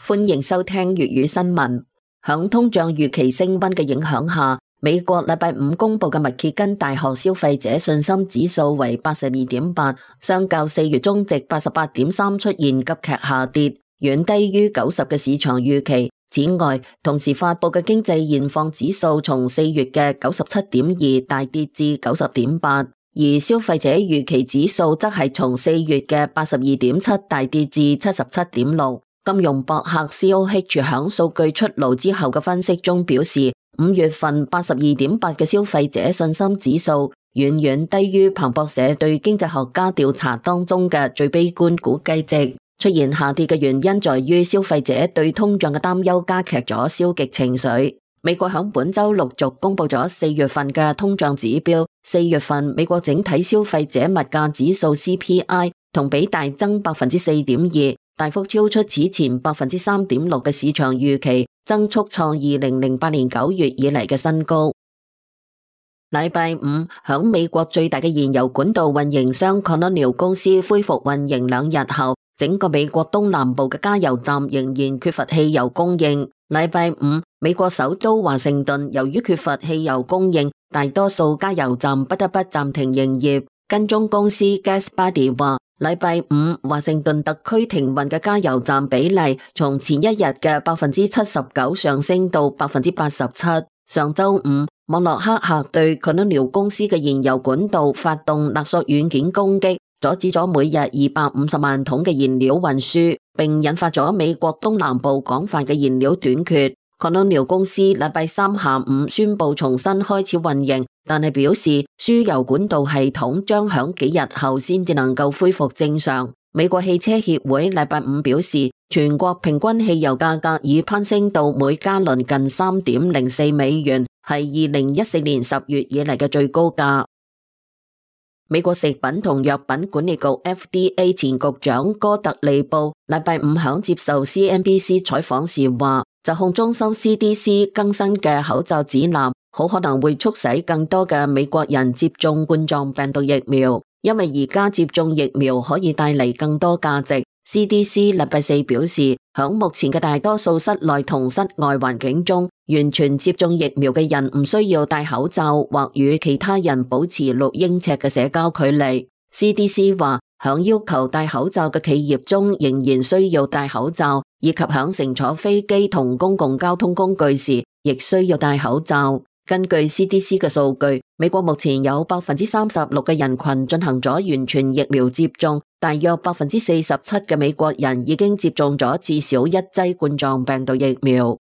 歡迎收聽粵語新聞。響通脹預期升溫嘅影響下，美國禮拜五公布嘅密歇根大學消費者信心指數為 82.8， 相較4月中值 88.3 出現急劇下跌，遠低於90嘅市場預期。此外，同時發佈嘅經濟現況指數從4月嘅 97.2 大跌至 90.8， 而消費者預期指數則係從4月嘅 82.7 大跌至 77.6。金融博客 COH 響數據出爐之後嘅分析中表示，5月份 82.8 嘅消費者信心指數遠遠低於彭博社對經濟學家調查當中嘅最悲觀估計值。出現下跌嘅原因在於消費者對通脹嘅擔憂加劇咗消極情緒。美國響本周陸續公布咗4月份嘅通脹指標，4月份美國整體消費者物價指數 CPI 同比大增 4.2%。大幅超出此前 3.6% 嘅市場預期，增速創2008年9月以嚟嘅新高。禮拜五，響美國最大嘅燃油管道運營商 Colonial 公司恢復運營2日後，整個美國東南部嘅加油站仍然缺乏汽油供應。禮拜五，美國首都華盛頓由於缺乏汽油供應，大多數加油站不得不暫停營業。跟蹤公司 GasBuddy 話，禮拜五華盛頓特區停運嘅加油站比例從前一日嘅 79% 上升到 87%。上周五，網絡黑客對 Colonial 公司嘅燃油管道發動勒索軟件攻擊，阻止咗每日250萬桶嘅燃料運輸，並引發咗美國東南部廣泛嘅燃料短缺。Colonial 公司禮拜三下午宣布重新開始運營，但係表示輸油管道系統將響幾日後先至能夠恢復正常。美國汽車協會禮拜五表示，全國平均汽油價格已攀升到每加侖近 3.04 美元，係2014年10月以嚟嘅最高價。美國食品同藥品管理局 FDA 前局長哥特利布禮拜五響接受 CNBC 採訪時話，疾控中心 CDC 更新嘅口罩指南好可能會促使更多嘅美國人接種冠狀病毒疫苗，因為而家接種疫苗可以帶嚟更多價值。CDC 禮拜四表示，響目前嘅大多數室內同室外環境中，完全接種疫苗嘅人唔需要戴口罩或與其他人保持6英尺嘅社交距離。CDC 話，響要求戴口罩嘅企業中仍然需要戴口罩，以及響乘坐飛機同公共交通工具時亦需要戴口罩。根據 CDC 嘅數據，美國目前有 36% 嘅人群進行咗完全疫苗接種，大約 47% 嘅美國人已經接種咗至少1劑冠狀病毒疫苗。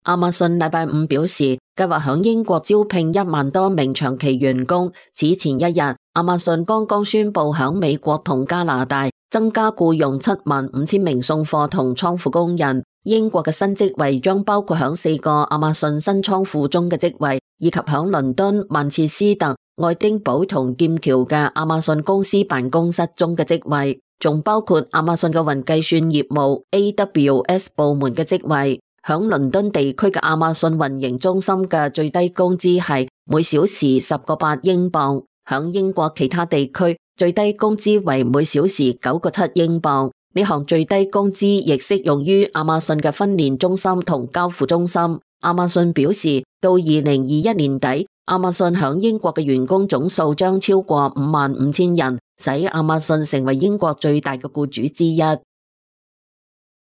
亞馬遜禮拜五表示，計劃響英國招聘1萬多名長期員工。此前一日，亞馬遜剛剛宣布響美國同加拿大增加僱用75,000名送貨同倉庫工人。英國嘅新職位將包括響4個亞馬遜新倉庫中嘅職位，以及響倫敦、曼徹斯特、愛丁堡同劍橋嘅亞馬遜公司辦公室中嘅職位，仲包括亞馬遜嘅雲計算業務 AWS 部門嘅職位。響倫敦地區嘅亞馬遜運營中心嘅最低工資係每小時10.8英鎊，響英國其他地區最低工資為每小時9.7英鎊。呢項最低工資亦適用於亞馬遜嘅分鏈中心同交付中心。亞馬遜表示，到2021年底，亞馬遜響英國嘅員工總數將超過55,000人，使亞馬遜成為英國最大嘅僱主之一。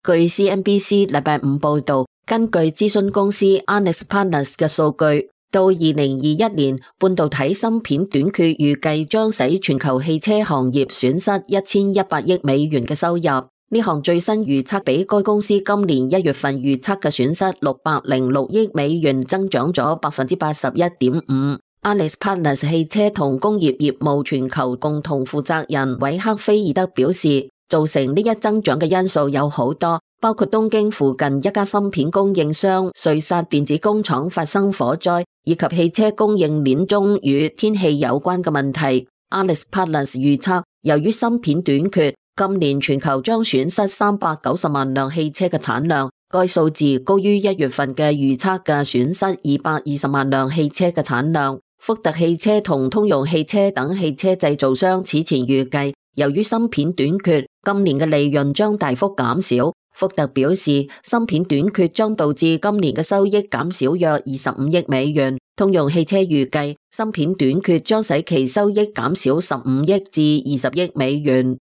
據 CNBC 禮拜五報道，根據諮詢公司 Arnett Partners 嘅數據，到2021年，半導體芯片短缺預計將使全球汽車行業損失1100億美元嘅收入。呢項最新預測比該公司今年1月份預測嘅損失606億美元增長咗 81.5%。Arnett Partners 汽車同工業業務全球共同負責人韋克菲爾德表示，造成呢一增長嘅因素有好多，包括東京附近一家芯片供應商瑞薩電子工廠發生火災，以及汽車供應鏈中與天氣有關嘅問題。Arnett Partners 預測，由於芯片短缺，今年全球將損失390萬輛汽車嘅產量，該數字高於1月份嘅預測嘅損失220萬輛汽車嘅產量。福特汽車同通用汽車等汽車製造商此前預計，由於芯片短缺，今年嘅利潤將大幅減少，福特表示，芯片短缺將導致今年嘅收益減少約25億美元。通用汽車預計，芯片短缺將使其收益減少15億至20億美元。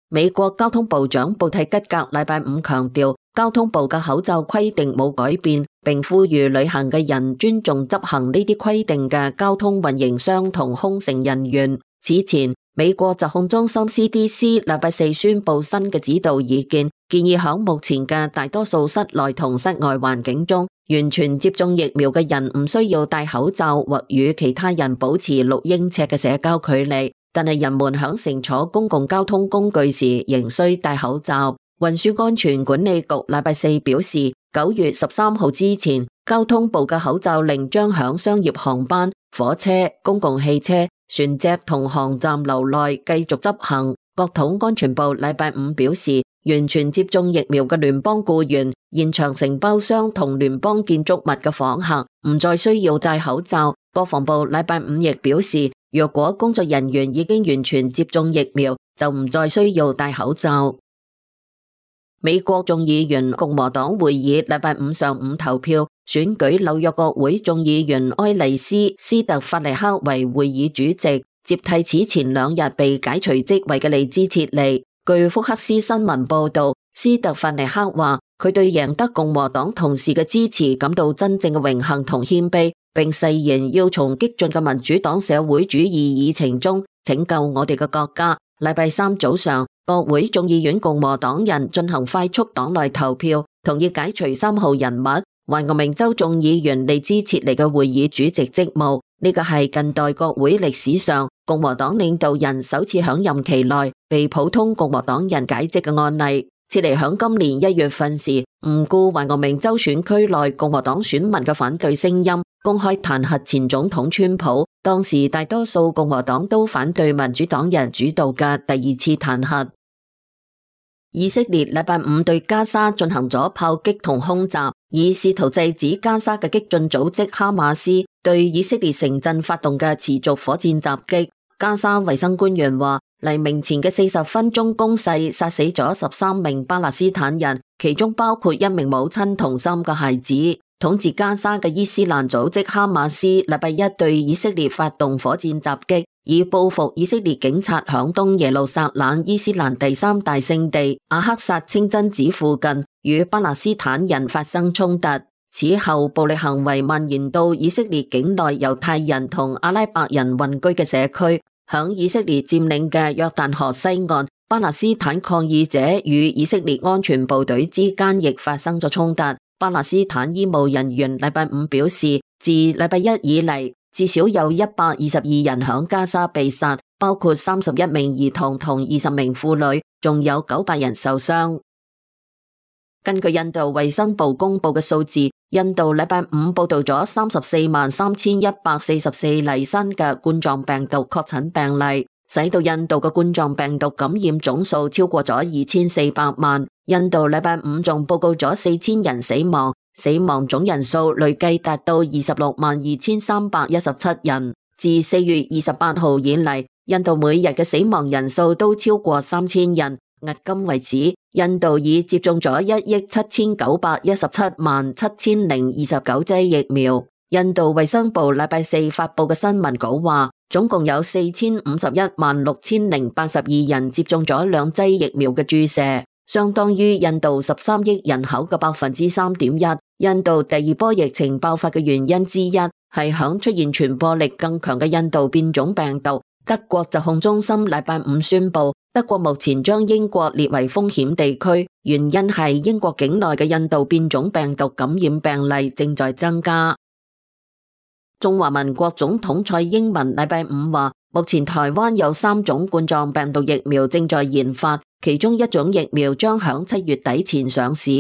美國交通部長布蒂吉格禮拜五強調，交通部嘅口罩規定冇改變，並呼籲旅行嘅人尊重執行呢啲規定嘅交通運營商同空乘人員。此前，美國疾控中心 CDC 禮拜四宣布新嘅指導意見，建議響目前嘅大多數室內同室外環境中，完全接種疫苗嘅人唔需要戴口罩或與其他人保持6英尺嘅社交距離，但係人們響乘坐公共交通工具時仍需戴口罩。運輸安全管理局禮拜四表示，9月13號之前，交通部嘅口罩令將響商業航班、火車、公共汽車、船隻同航站樓內繼續執行。國土安全部禮拜五表示，完全接種疫苗嘅聯邦僱員、現場承包商同聯邦建築物嘅訪客唔再需要戴口罩。國防部禮拜五亦表示，若果工作人員已經完全接種疫苗，就唔再需要戴口罩。美國眾議院共和黨會議禮拜五上午投票選舉紐約國會眾議員埃麗斯·斯特法尼克為會議主席，接替此前2日被解除職位嘅利茲切利。據福克斯新聞報道，斯特法尼克話佢對贏得共和黨同事嘅支持感到真正嘅榮幸同謙卑，並誓言要從激進嘅民主黨社會主義議程中拯救我哋嘅國家。禮拜三早上，國會眾議院共和黨人進行快速黨內投票，同意解除3號人物懷俄明州眾議員利茲切尼嘅會議主席職務。呢個係近代國會歷史上共和黨領導人首次響任期內被普通共和黨人解職嘅案例。切尼響今年1月份時唔顧懷俄明州選區內共和黨選民嘅反對聲音，公開彈劾前總統川普。當時大多數共和黨都反對民主黨人主導嘅第2次彈劾。以色列禮拜五對加沙進行咗炮擊同空襲，以試圖制止加沙嘅激進組織哈馬斯對以色列城鎮發動嘅持續火箭襲擊。加沙衛生官員話，黎明前嘅40分鐘攻勢殺死咗13名巴勒斯坦人，其中包括1名母親同3個孩子。統治加沙嘅伊斯蘭組織哈馬斯禮拜一對以色列發動火箭襲擊，以報復以色列警察響東耶路撒冷伊斯蘭第3大聖地阿克薩清真寺附近與巴勒斯坦人發生衝突。此後暴力行為蔓延到以色列境內猶太人同阿拉伯人混居嘅社區。響以色列佔領嘅約旦河西岸，巴勒斯坦抗議者與以色列安全部隊之間亦發生咗衝突。巴勒斯坦醫務人員禮拜五表示，自禮拜一以嚟，至少有122人響加沙被殺，包括31名兒童同20名婦女，仲有900人受傷。根據印度衛生部公布嘅數字，印度禮拜五報道咗343144例新嘅冠狀病毒確診病例，使到印度嘅冠狀病毒感染總數超過咗2400萬。印度禮拜五仲報告咗4000人死亡，死亡總人數累計達到262317人。自4月28號以嚟，印度每日嘅死亡人數都超過3000人。迄今為止，印度已接種咗179177029劑疫苗。印度衛生部禮拜四發佈嘅新聞稿話，總共有4516,082人接種咗2劑疫苗嘅注射，相當於印度13億人口嘅3.1%。印度第2波疫情爆發嘅原因之一係響出現傳播力更強嘅印度變種病毒。德國疾控中心禮拜五宣布，德國目前將英國列為風險地區，原因係英國境內嘅印度變種病毒感染病例正在增加。中華民國總統蔡英文禮拜五話，目前台灣有3種冠狀病毒疫苗正在研發，其中1種疫苗將響7月底前上市。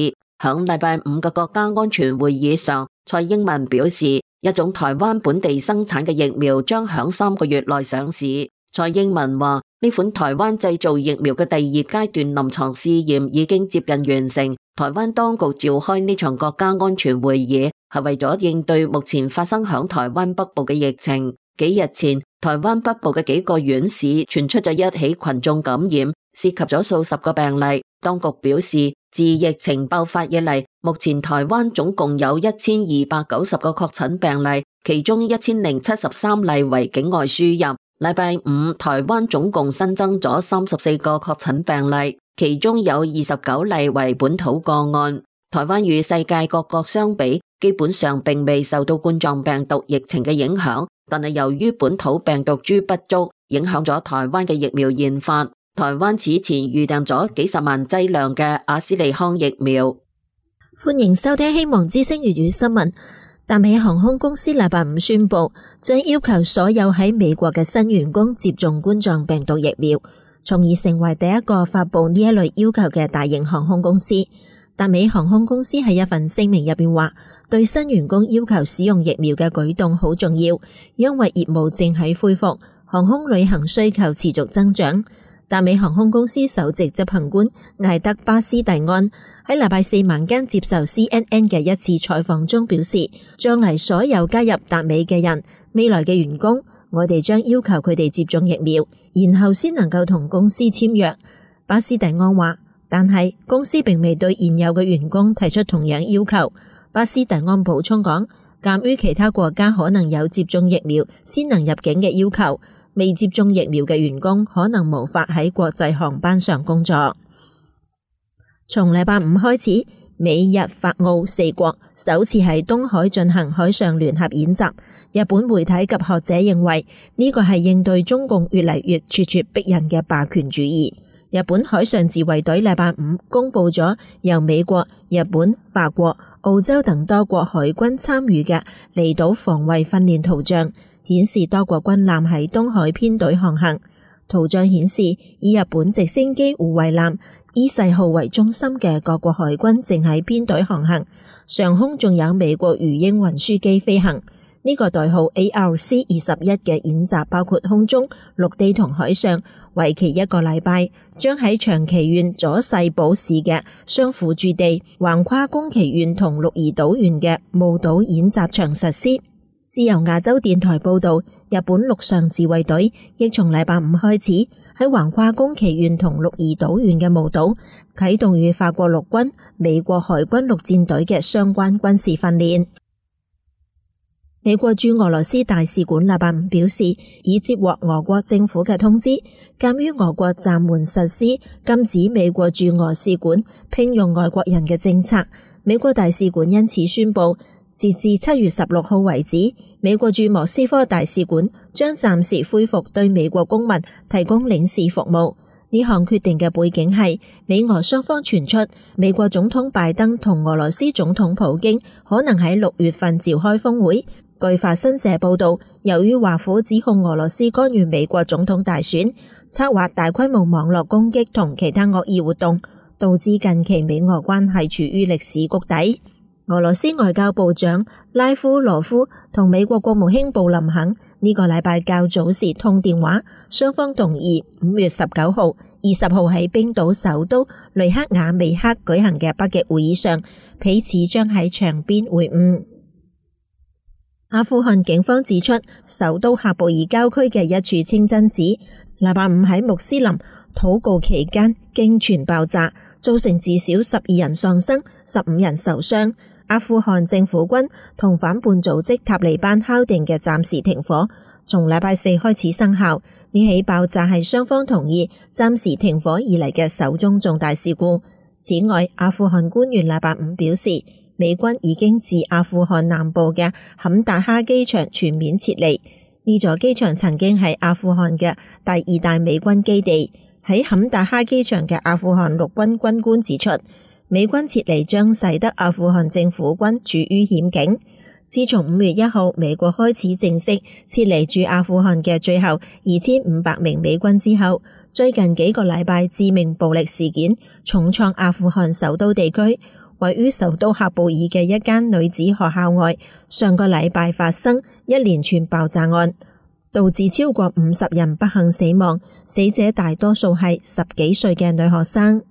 響禮拜五嘅國家安全會議上，蔡英文表示，1種台灣本地生產嘅疫苗將響3個月內上市。蔡英文話，呢款台灣製造疫苗嘅第2階段臨床試驗已經接近完成。台灣當局召開呢場國家安全會議，係為咗應對目前發生響台灣北部嘅疫情。幾日前，台灣北部嘅幾個縣市傳出咗1起群眾感染，涉及咗數十個病例。當局表示，自疫情爆發以嚟，目前台灣總共有1290個確診病例，其中1073例為境外輸入。禮拜五，台灣總共新增咗34個確診病例，其中有29例為本土個案。台灣與世界各國相比，基本上並未受到冠狀病毒疫情嘅影響，但係由於本土病毒株不足，影響咗台灣嘅疫苗研發。台灣此前預訂咗幾十萬劑量嘅阿斯利康疫苗。歡迎收聽希望之聲粵語新聞。達美航空公司禮拜五宣布，將要求所有喺美國嘅新員工接種冠狀病毒疫苗，從而成為第一個發佈呢一類要求嘅大型航空公司。達美航空公司喺一份聲明入邊話，對新員工要求使用疫苗嘅舉動好重要，因為業務正喺恢復，航空旅行需求持續增長。達美航空公司首席執行官艾德巴斯蒂安喺禮拜四晚間接受 CNN 嘅一次採訪中表示，將嚟所有加入達美嘅人，未來嘅員工，我哋將要求佢哋接種疫苗，然後先能夠同公司簽約。巴斯蒂安話，但係公司並未對現有嘅員工提出同樣要求。巴斯蒂安補充講，鑒於其他國家可能有接種疫苗先能入境嘅要求，未接種疫苗嘅員工可能無法喺國際航班上工作。從禮拜五開始，美日法澳四國首次喺東海進行海上聯合演習。日本媒體及學者認為呢個係應對中共越嚟越咄咄逼人嘅霸權主義。日本海上自衛隊禮拜五公布咗由美國、日本、法國、澳洲等多國海軍參與嘅離島防衛訓練圖像，顯示多國軍艦喺東海編隊航行。圖像顯示以日本直升機護衛艦伊勢號為中心嘅各國海軍正喺編隊航行，上空仲有美國魚鷹運輸機飛行。呢個代號 ARC-21 嘅演習包括空中、陸地同海上，為期1個禮拜，將喺長崎縣佐世保市嘅相輔駐地橫跨宮崎縣同鹿兒島縣嘅霧島演習場實施。自由亞洲電台報道，日本陸上自衛隊亦從禮拜五開始喺橫跨宮崎縣同鹿兒島縣嘅霧島啟動與法國陸軍、美國海軍陸戰隊嘅相關軍事訓練。美國駐俄羅斯大使館禮拜五表示，已接獲俄國政府嘅通知，鑒於俄國暫緩實施禁止美國駐俄使館聘用外國人嘅政策，美國大使館因此宣布，截至7月16號為止，美國駐莫斯科大使館將暫時恢復對美國公民提供領事服務。呢項決定嘅背景係美俄雙方傳出美國總統拜登同俄羅斯總統普京可能喺6月份召開峰會。據法新社報道，由於華府指控俄羅斯干預美國總統大選，策劃大規模網絡攻擊同其他惡意活動，導致近期美俄關係處於歷史谷底。俄羅斯外交部長拉夫羅夫同美國國務卿布林肯呢個禮拜較早時通電話，雙方同意5月19號、20號喺冰島首都雷克雅未克舉行嘅北極會議上，彼此將喺場邊會晤。阿富汗警方指出，首都喀布爾郊區嘅一處清真寺禮拜五喺穆斯林禱告期間驚傳爆炸，造成至少12人喪生、15人受傷。阿富汗政府軍同反叛組織塔利班敲定嘅暫時停火，從禮拜四開始生效。呢起爆炸係雙方同意暫時停火以嚟嘅首宗重大事故。此外，阿富汗官員禮拜五表示，美軍已經自阿富汗南部嘅坎達哈機場全面撤離。呢座機場曾經係阿富汗嘅第2大美軍基地。喺坎達哈機場嘅阿富汗陸軍軍官指出，美軍撤離將使得阿富汗政府軍處於險境。自從5月1號美國開始正式撤離駐阿富汗嘅最後2500名美軍之後，最近幾個禮拜致命暴力事件重創阿富汗首都地區。位於首都喀布爾嘅一間女子學校外，上個禮拜發生一連串爆炸案，導致超過50人不幸死亡，死者大多數係10幾歲嘅女學生。